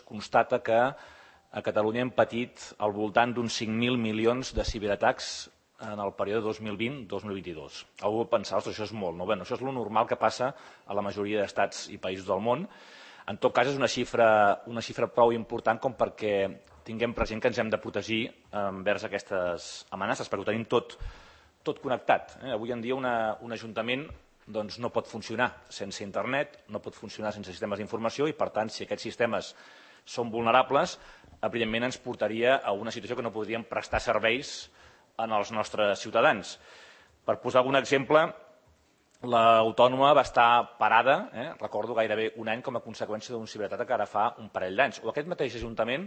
constata que a Catalunya hem patit al voltant d'uns 5.000 milions de ciberatacs en el període 2020-2022. Algú pot pensar, ostres, això és molt, no? Bé, això és el normal que passa a la majoria d'estats i països del món. En tot cas, és una xifra prou important com perquè tinguem present que ens hem de protegir envers aquestes amenaces, perquè ho tenim tot connectat. Avui en dia un ajuntament no pot funcionar sense internet, no pot funcionar sense sistemes d'informació i, per tant, si aquests sistemes són vulnerables, evidentment ens portaria a una situació que no podríem prestar serveis als nostres ciutadans. Per posar algun exemple, l'autònoma va estar parada, recordo gairebé un any com a conseqüència d'un ciberatac que ara fa un parell d'anys. O aquest mateix ajuntament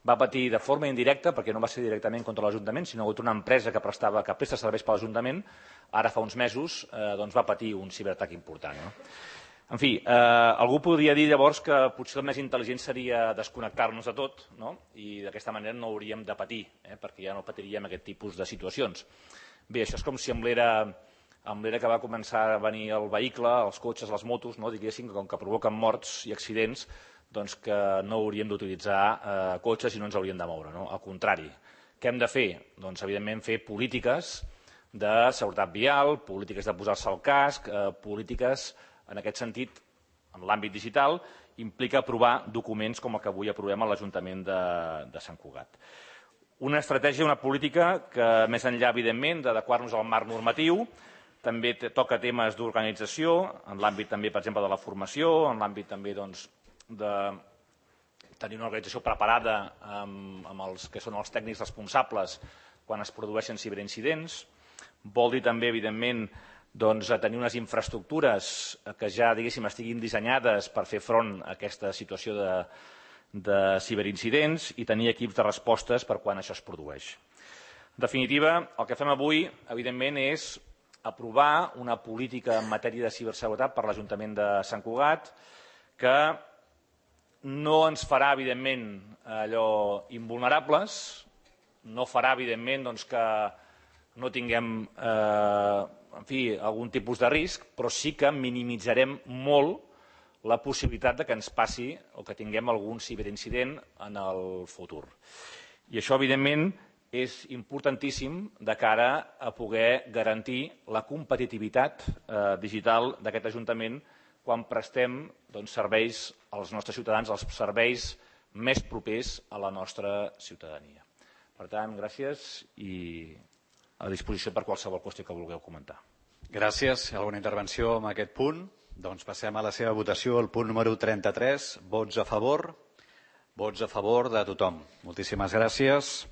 va patir de forma indirecta, perquè no va ser directament contra l'Ajuntament, sinó una empresa que presta serveis per l'Ajuntament, ara fa uns mesos va patir un ciberatac important. En fi, algú podria dir llavors que potser el més intel·ligent seria desconnectar-nos de tot i d'aquesta manera no hauríem de patir, perquè ja no patiríem aquest tipus de situacions. Bé, això és com si amb l'era que va començar a venir el vehicle, els cotxes, les motos, diguéssim, com que provoquen morts i accidents, doncs que no hauríem d'utilitzar cotxes i no ens hauríem de moure. Al contrari, què hem de fer? Doncs, evidentment, fer polítiques de seguretat vial, polítiques de posar-se al casc, polítiques, en aquest sentit, en l'àmbit digital, implica aprovar documents com el que avui aprovem a l'Ajuntament de Sant Cugat. Una estratègia, una política que, més enllà, evidentment, d'adequar-nos al marc normatiu, també toca temes d'organització, en l'àmbit també, per exemple, de la formació, en l'àmbit també de tenir una organització preparada amb els que són els tècnics responsables quan es produeixen ciberincidents. Vol dir també, evidentment, tenir unes infraestructures que ja, diguéssim, estiguin dissenyades per fer front a aquesta situació de ciberincidents i tenir equips de respostes per quan això es produeix. En definitiva, el que fem avui, evidentment, és aprovar una política en matèria de ciberseguretat per l'Ajuntament de Sant Cugat que no ens farà, evidentment, allò invulnerables, no farà, evidentment, que no tinguem algun tipus de risc, però sí que minimitzarem molt la possibilitat que ens passi o que tinguem algun ciberincident en el futur. I això, evidentment, és importantíssim de cara a poder garantir la competitivitat digital d'aquest Ajuntament quan prestem serveis als nostres ciutadans, els serveis més propers a la nostra ciutadania. Per tant, gràcies i a disposició per qualsevol qüestió que vulgueu comentar. Gràcies. Alguna intervenció en aquest punt? Doncs passem a la seva votació. El punt número 33. Vots a favor? Vots a favor de tothom. Moltíssimes gràcies.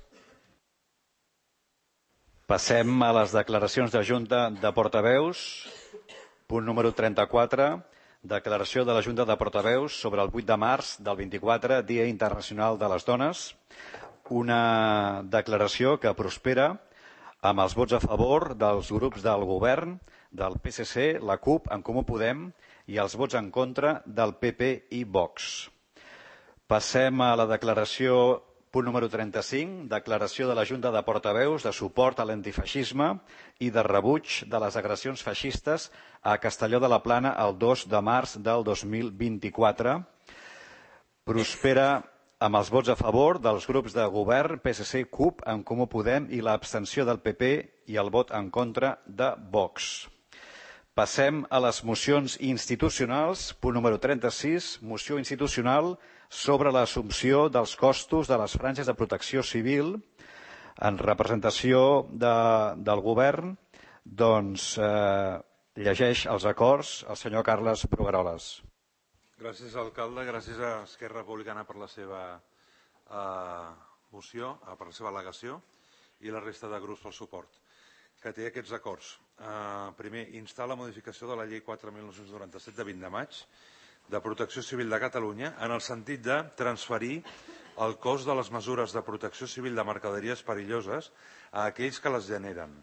Passem a les declaracions de Junta de Portaveus. Punt número 34. Declaració de la Junta de Portaveus sobre el 8 de març del 24, Dia Internacional de les Dones. Una declaració que prospera amb els vots a favor dels grups del govern, del PSC, la CUP, en Comú Podem, i els vots en contra del PP i Vox. Passem a la declaració, punt número 35, declaració de la Junta de Portaveus de suport a l'antifeixisme i de rebuig de les agressions feixistes a Castelló de la Plana el 2 de març del 2024. Prospera amb els vots a favor dels grups de govern, PSC, CUP, en Comú Podem i l'abstenció del PP i el vot en contra de Vox. Passem a les mocions institucionals. Punt número 36, moció institucional sobre l'assumpció dels costos de les franges de protecció civil. En representació del govern, doncs llegeix els acords el senyor Carles Brugueroles. Gràcies, alcalde. Gràcies a Esquerra Republicana per la seva moció, per la seva al·legació i la resta de grups pel suport, que té aquests acords. Primer, instar la modificació de la llei 4.997 de 20 de maig de Protecció Civil de Catalunya en el sentit de transferir el cost de les mesures de protecció civil de mercaderies perilloses a aquells que les generen,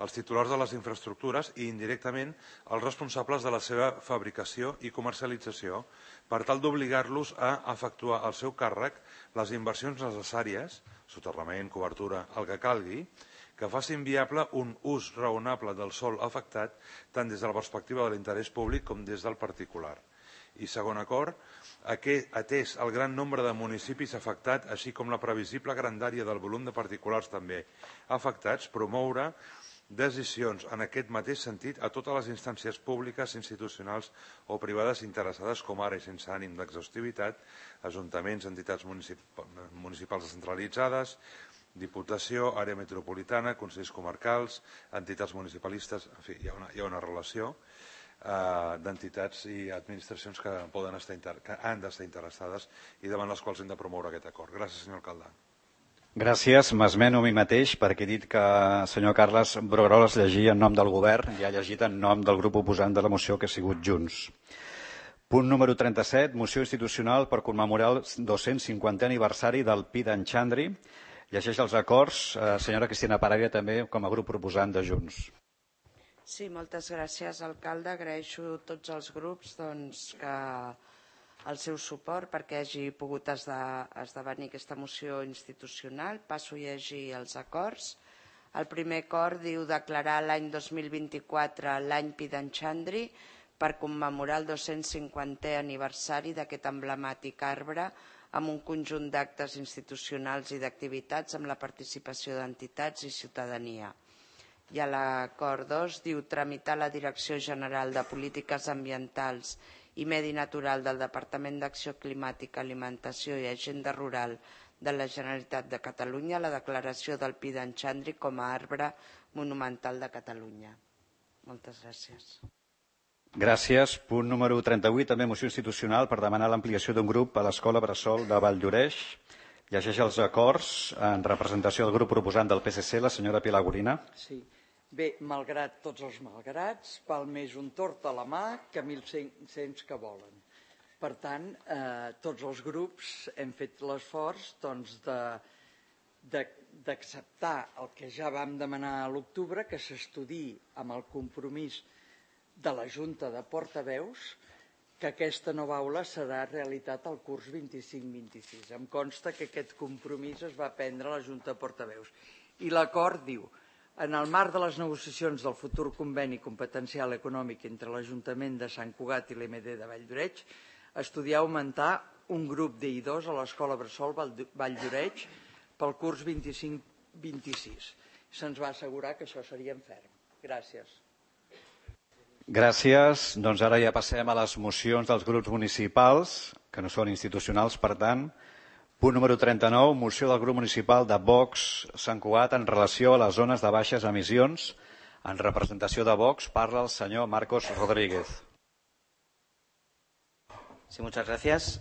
els titulars de les infraestructures i, indirectament, els responsables de la seva fabricació i comercialització, per tal d'obligar-los a efectuar al seu càrrec les inversions necessàries, soterrament, cobertura, el que calgui, que facin viable un ús raonable del sòl afectat tant des de la perspectiva de l'interès públic com des del particular, I segon acord, atès el gran nombre de municipis afectats, així com la previsible grandària del volum de particulars també afectats, promoure decisions en aquest mateix sentit a totes les instàncies públiques, institucionals o privades interessades, com ara i sense ànim d'exhaustivitat, ajuntaments, entitats municipals descentralitzades, Diputació, àrea metropolitana, consells comarcals, entitats municipalistes, en fi, hi ha una relació d'entitats i administracions que han d'estar interessades i davant les quals hem de promoure aquest acord. Gràcies, senyor alcalde. Gràcies. M'esmeno a mi mateix perquè he dit que el senyor Carles Brugueroles llegia en nom del govern i ha llegit en nom del grup oposant de la moció, que ha sigut Junts. Punt número 37, moció institucional per commemorar el 250è aniversari del Pi d'en Xandri. Llegeix els acords. Senyora Cristina Paravia, també com a grup proposant de Junts. Sí, moltes gràcies, alcalde. Agraeixo a tots els grups que el seu suport perquè hagi pogut esdevenir aquesta moció institucional. Passo a llegir els acords. El primer acord diu declarar l'any 2024 l'any Pi d'en Xandri per commemorar el 250è aniversari d'aquest emblemàtic arbre amb un conjunt d'actes institucionals i d'activitats amb la participació d'entitats i ciutadania. I a l'acord 2 diu tramitar la Direcció General de Polítiques Ambientals i Medi Natural del Departament d'Acció Climàtica, Alimentació i Agenda Rural de la Generalitat de Catalunya la declaració del Pi d'en Xandri com a arbre monumental de Catalunya. Moltes gràcies. Gràcies. Punt número 38, també moció institucional per demanar l'ampliació d'un grup a l'Escola Bressol de Valldoreix. Llegeix els acords en representació del grup proposant del PSC, la senyora Pilar Gorina. Sí. Bé, malgrat tots els malgrats, val més un tort a la mà que 1.500 que volen. Per tant, tots els grups hem fet l'esforç d'acceptar el que ja vam demanar a l'octubre, que s'estudiï amb el compromís de la Junta de Portaveus que aquesta nova aula serà realitat al curs 25-26. Em consta que aquest compromís es va prendre a la Junta de Portaveus. I l'acord diu: en el marc de les negociacions del futur conveni competencial econòmic entre l'Ajuntament de Sant Cugat i l'EMD de Valldoreix, estudiar augmentar un grup d'I2 a l'Escola Bressol Valldoreix pel curs 25-26. Se'ns va assegurar que això seria en ferm. Gràcies. Gràcies. Doncs ara ja passem a les mocions dels grups municipals, que no són institucionals, per tant. Punt número 39, moció del grup municipal de Vox Sant Cugat en relació a les zones de baixes emissions. En representació de Vox parla el senyor Marcos Rodríguez. Sí, muchas gracias.